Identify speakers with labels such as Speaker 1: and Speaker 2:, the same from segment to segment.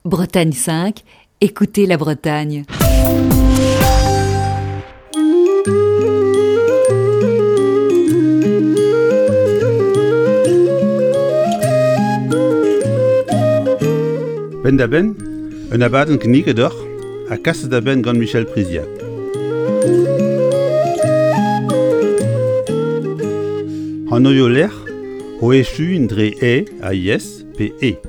Speaker 1: Bretagne 5, écoutez la Bretagne.
Speaker 2: Penn-da-benn, un abadenn kinniget deoc'h ha kaset da benn gant Michel Priziac. Anvioù-lec'h o echuiñ dre e ha yes pe e.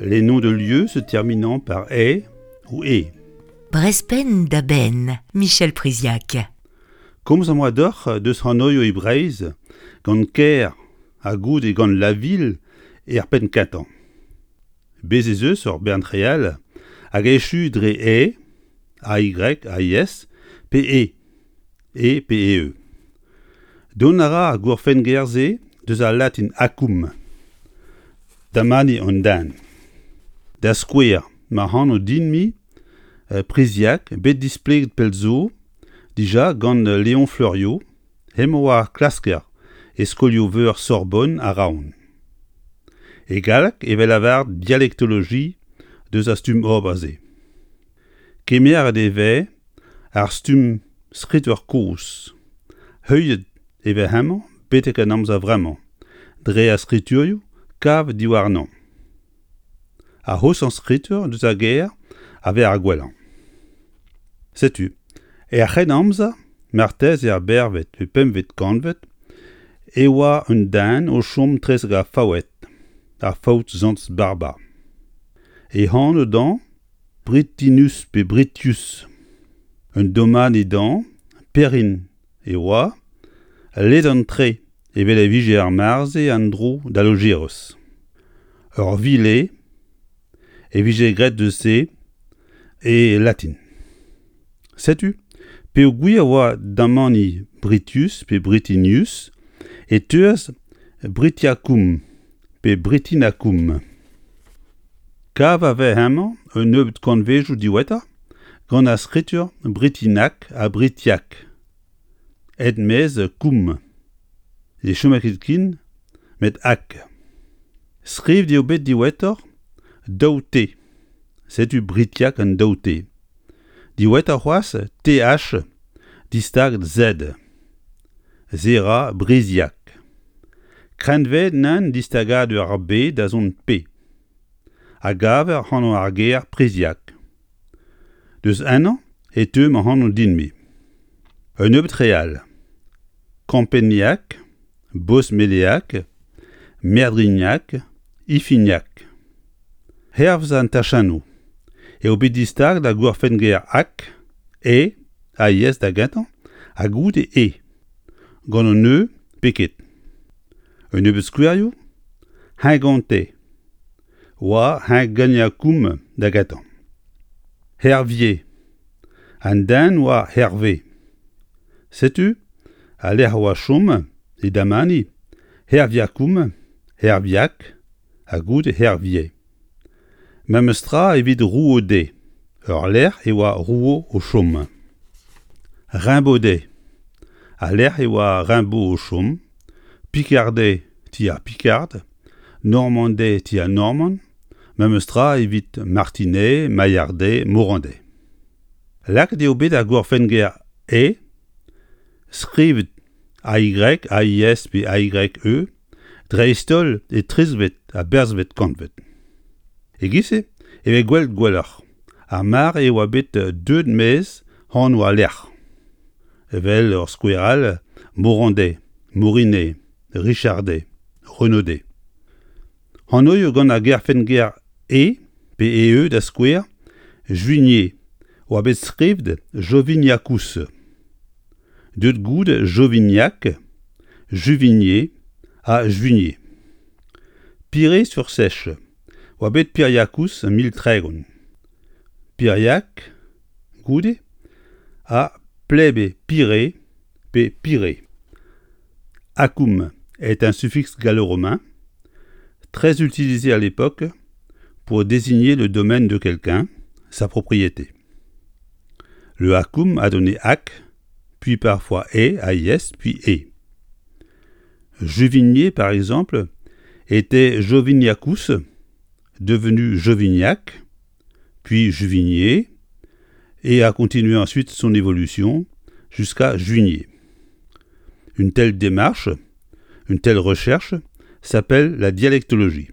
Speaker 2: Les noms de lieux se terminant par e ou e.
Speaker 3: Brezpenn da benn, Michel Priziac.
Speaker 2: Komz am boa deoc'h deus anvioù e Breizh gant kêr ha goude gant la ville er penn kentañ. Bez' ez eus ur bern re all hag echu dre e, AY, AIS pe e, e pe e. Dont a ra ar gourfenn-ger-se deus al latin acum, damani an den. Da skouer, ma anv din-me Priziac, bet displeget pell zo dija gant Léon Fleuriot, hemañ oa klasker e skolioù-veur Sorbonne ha Rouen. E galleg e vez lavaret dialektoloji deus ar stumm ober-se. Kemeret e vez ar stumm skritur kozh, heuliet e vez hemañ betek an amzer vremañ dre ar skriturioù kavet diwarnañ. Ar c'hoshañ skritur deus ar gêr a vez ar gwellañ. Setu, er C'hrennamzer, marteze er bervet pe pempvet kantved, e oa un den o chom 'trezek ar Faoued, ar Faout Sant Barba. E anv dañ Britinus pe Britius. Un domani dañ, Perrin e oa, ledan-tre evel e vije ar mare-se an dro da Lojeroz. Ur vile e vije graet deus se e latin. Setu peogwir e oa damani Britius pe Britinius e teuas Britiacum pe Britinacum. Kav a vez hemañ un nebeud kantvedoù diwezhatoc'h gant ar skritur Britinak ha Britiak. Aet maez koum. Ne chome ket ken met ak. Skrivet eo bet diwezhatoc'h daou T. Setu Britiak an daou T. Diwezhatoc'h c'hoazh TH distaget Z. Se 'ra Briziak. Kreñvaet nann distagadur ar B da zont P. A gaver anv ar ger Priziak. Deus ennañ e teu ma anv din-me. Un nebeud re all. Kampeniak, Bosmeleak, Merdrignac, Ifignac. Hervez an tachennoù eo bet distaget ar gourfenn-ger ak, e, ha yes da gentañ, ha goude e, gant un e pe ket. Un nebeud skouerioù, Hengonte oa Henganiakoum da gentañ. Hervier, an den oa Herve. Setu al lec'h a oa chom e damani Herviakoum, Herviak, ha goude Hervier. Memes tra evit Rouaudet, ur lec'h e oa Rouault o chom. Rimbaudais, al lec'h e oa Rimbaud o chom, Picardais ti ar Picard, Normandais ti an Normand, memes tra evit Martinet, Maillardet, Morandais. Lakaet eo bet ar gourfenn-ger e, skrivet AY, AIS pe AYE, dreist-holl e trizvet ha berzvet kantved. E-giz-se e vez gwelet gwelloc'h ar mare e oa bet deuet maez anv al lec'h. Evel ur skouer all, Morandais, Morinet, Richardet, Renaudet. Anv gant ar gerfenn-ger e pe ee da skouer, Juigné oa bet skrivet Joviniacus. Deuet goude Jovignac, Juvigné ha Juigné. Piré-sur-Sèche oa bet Piriacus 1030. Piriac goude ha Plebe Piré pe Piré. Acum est un suffixe gallo-romain très utilisé à l'époque pour désigner le domaine de quelqu'un, sa propriété. Le acum a donné ac, puis parfois e, ais, puis e. Juvigné, par exemple, était Joviniacus, devenu Jovignac, puis Juvigné, et a continué ensuite son évolution jusqu'à Juigné. Une telle démarche, une telle recherche, s'appelle la dialectologie.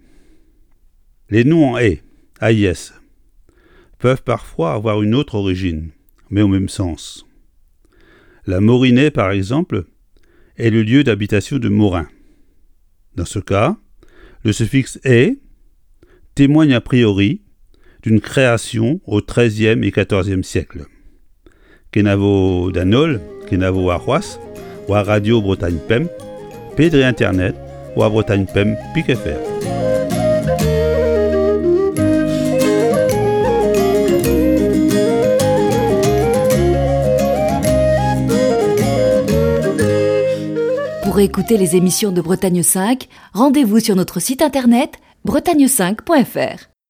Speaker 2: Les noms en est, AIS, peuvent parfois avoir une autre origine, mais au même sens. La Morinais, par exemple, est le lieu d'habitation de Morin. Dans ce cas, le suffixe est témoigne a priori d'une création au XIIIe et XIVe siècle. Kenavo d'an holl, kenavo warc'hoazh, war Radio Bretagne Pemp, pe dre internet war Bretagne Pemp pik fr.
Speaker 1: Pour écouter les émissions de Bretagne 5, rendez-vous sur notre site internet bretagne5.fr.